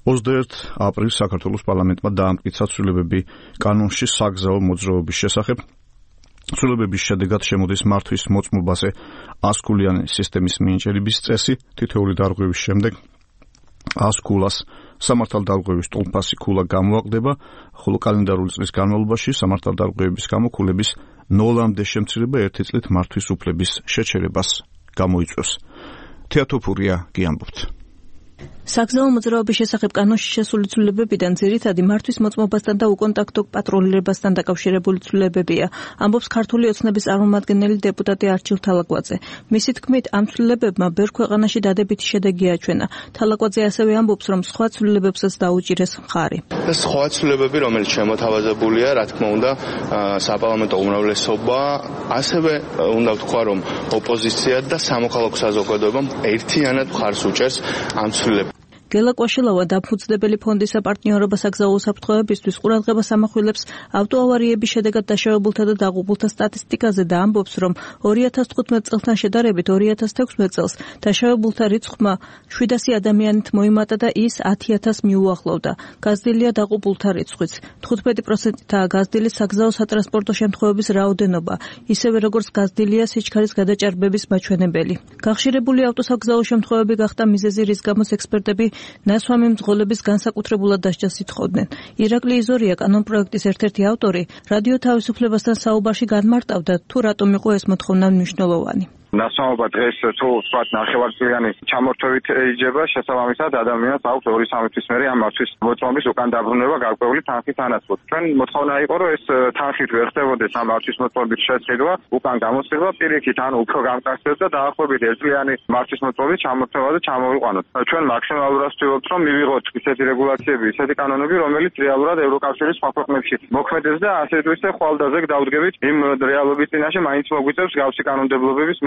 21 აპრილს საქართველოს პარლამენტმა დაამტკიცა ცვლილებები კანონში საგზაო მოძრაობის შესახებ. ცვლილებების შედეგად შემოდის მართვის მოწმობაზე 100 ქულიანი სისტემის მინიჭების წესი, თითოეული დარღვევის შემდეგ 100 ქულას სამართალდარღვევის ტოლფასი ქულა გამოაკლდება, ხოლო კალენდარული წლის განმავლობაში სამართალდარღვევების გამო ქულების 0-მდე შემცირება 1 წლით მართვის უფლების შეჩერებას გამოიწვევს. თეატოფურია გიამბობთ. საგზაო მოძრაობის შესახებ კანონში შესული ცვლილებებიდან ძირითადი მართვის მოწმობასთან და უკონტაქტო პატრულირებასთან დაკავშირებული ცვლილებებია, ამბობს ქართული ოცნების წარმომადგენელი დეპუტატი არჩილ თალაკვაძე. მისი თქმით, ამ ცვლილებებმა ბევრ ქვეყანაში დადებითი შედეგი აჩვენა. თალაკვაძე ასევე ამბობს, რომ სხვა ცვლილებებსაც დაუჭირეს მხარი. სხვა ცვლილებები, რომელიც შემოთავაზებულია, რა თქმა უნდა, საპარლამენტო უმრავლესობა, ასევე უნდა ვთქვა, რომ ოპოზიცია და სამოქალაქო საზოგადოება ერთიანად მხარს უჭერს ამ ცვლილებებს. გელა კვაშილავა დაფუძნებელი ფონდის საპარტნიორობა საგზაო უსაფრთხოებისთვის ყურადღებას ამახვილებს ავტოავარიების შედეგად დაშავებულთა და დაღუპულთა სტატისტიკაზე და ამბობს, რომ 2015 წელთან შედარებით 2016 წელს დაშავებულთა რიცხვმა 700 ადამიანით მოიმატა და ის 10,000-ს მიუახლოვდა. გაზრდილია დაღუპულთა რიცხვიც. 15%-აა გაზრდილი საგზაო სატრანსპორტო შემთხვევების რაოდენობა, ისევე როგორც გაზრდილია სიჩქარის გადაჭარბების მაჩვენებელი. გახშირებული ავტოსაგზაო შემთხვევები გახდა მიზეზი, რის გამოც ექსპერტები ნასვამი მძღოლების განსაკუთრებულად დასჯას ითხოვდნენ. ირაკლი იზორია, კანონპროექტის ერთ-ერთი ავტორი, რადიო თავისუფლებასთან საუბარში განმარტავდა, თუ რატომ იყო ეს მოთხოვნა მნიშვნელოვანი. ნასვამობა დღეს თუ ვთქვათ ნახევარწლიანი ჩამორთვევით ეიჯება, შესაბამისად ადამიანს აქვს 2-3 თვის მერე ამ მართვის მოწმობის უკან დაბრუნება გარკვეული თანხით ანაცვლოდ. ჩვენ მოთხოვნა იყო, რომ ეს თანხით ვერ ხდებოდეს ამ მართვის მოწმობის შესყიდვა, უკან გამოსცემა პირიქით, ანუ უფრო გამკაცდეს და დაახლოებით 1 წლიანი მართვის მოწმობის ჩამორთვევა და ჩამოვიყვანოთ. ჩვენ მაქსიმალურად ვცდილობთ, რომ მივიღოთ ისეთი რეგულაციები, ისეთი კანონები, რომელიც რეალურად ევროკავშირის სხვა ქვეყნებში მოქმედებს და ასე თუ ისე ხვალდაზე დავდგებით იმ რეალობის წინაშე მაინც მოგვიწევს გავსი კანონმდებლობების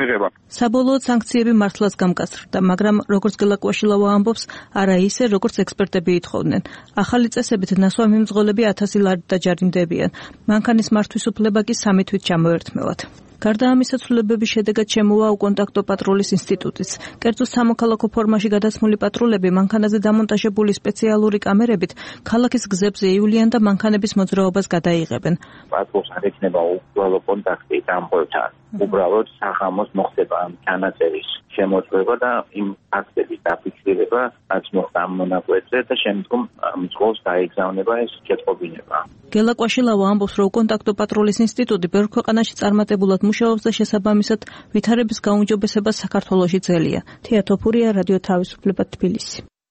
საბოლოოდ სანქციები მართლაც გამკაცრდა, მაგრამ როგორც გელა კვაშილავა ამბობს, არა ისე, როგორც ექსპერტები ითხოვდნენ. ახალი წესებით ნასვამი მძღოლები 1000 ლარით დაჯარიმდებიან. მანქანის მართვის უფლება კი 3 თვით ჩამოერთმევათ. გარდა ამისა, ცვლილებების შედეგად შემოვა უკონტაქტო პატრულის ინსტიტუტიც. კერძო სამოქალაქო ფორმაში გადაცმული პატრულები მანქანაზე დამონტაჟებული სპეციალური კამერებით ქალაქის გზებზე ივლიან და მანქანების მოძრაობას გადაიღებენ. პატრულს არ ექნება უბრალო კონტაქტი დამპყრობთან. უბრალოდ საღამოს მოხდება ამ ჩანაწერის შემოწმება და იმ ფაქტების დაფიქსირება, რაც მოხდა ამ მონაკვეთზე და შემდგომ მძღოლს დაეგზავნება ეს შეტყობინება. გელა კვაშილავა ამბობს, რომ უკონტაქტო პატრულის ინსტიტუტი ბევრ ქვეყანაში წარმატებულად მუშაობს და შესაბამისად ვითარების გაუმჯობესება საქართველოში ძელია. თეატოფურია, რადიო თავისუფლება, თბილისი.